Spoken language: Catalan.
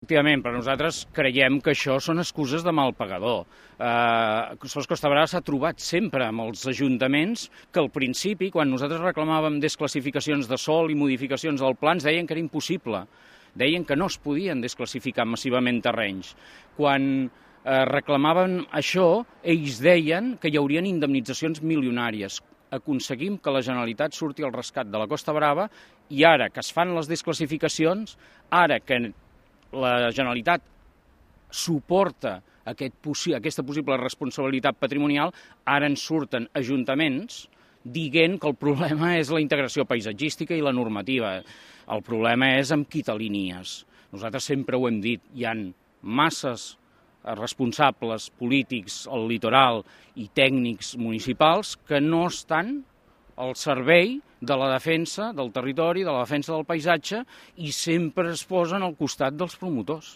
Efectivament, però nosaltres creiem que això són excuses de mal pagador. Sos Costa Brava s'ha trobat sempre amb els ajuntaments que al principi, quan nosaltres reclamàvem desclassificacions de sòl i modificacions del pla, ens deien que era impossible. Deien que no es podien desclassificar massivament terrenys. Quan reclamaven això, ells deien que hi haurien indemnitzacions milionàries. Aconseguim que la Generalitat surti al rescat de la Costa Brava i ara que es fan les desclassificacions, ara que la Generalitat suporta aquesta possible responsabilitat patrimonial, ara ens surten ajuntaments dient que el problema és la integració paisatgística i la normativa. El problema és amb quitalínies. Nosaltres sempre ho hem dit, hi ha masses responsables polítics al litoral i tècnics municipals que no estan al servei de la defensa del territori, de la defensa del paisatge i sempre es posen al costat dels promotors.